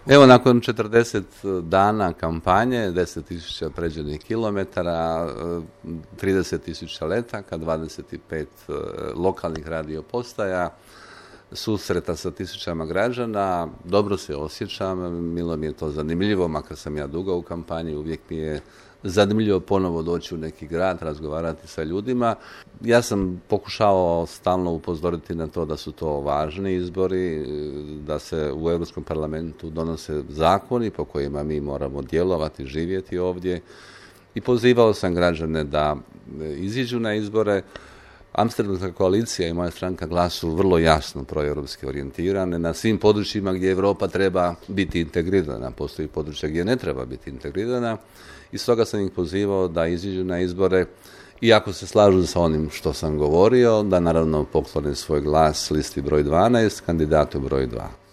Evo, nakon 40 dana kampanje, 10.000 pređenih kilometara, 30.000 letaka, 25 lokalnih radio postaja, susreta sa tisućama građana, dobro se osjećam, milo mi je to zanimljivo, makar sam ja dugo u kampanji, uvijek mi je zanimljivo ponovo doći u neki grad, razgovarati sa ljudima. Ja sam pokušavao stalno upozoriti na to da su to važni izbori, da se u Europskom parlamentu donose zakoni po kojima mi moramo djelovati, živjeti ovdje i pozivao sam građane da iziđu na izbore. Amsterdamska koalicija i moja stranka Glas su vrlo jasno proeuropski orijentirane na svim područjima gdje Europa treba biti integrirana. Postoji područja gdje ne treba biti integrirana i stoga sam ih pozivao da iziđu na izbore i ako se slažu sa onim što sam govorio, da naravno poklone svoj glas listi broj 12, kandidatu broj 2.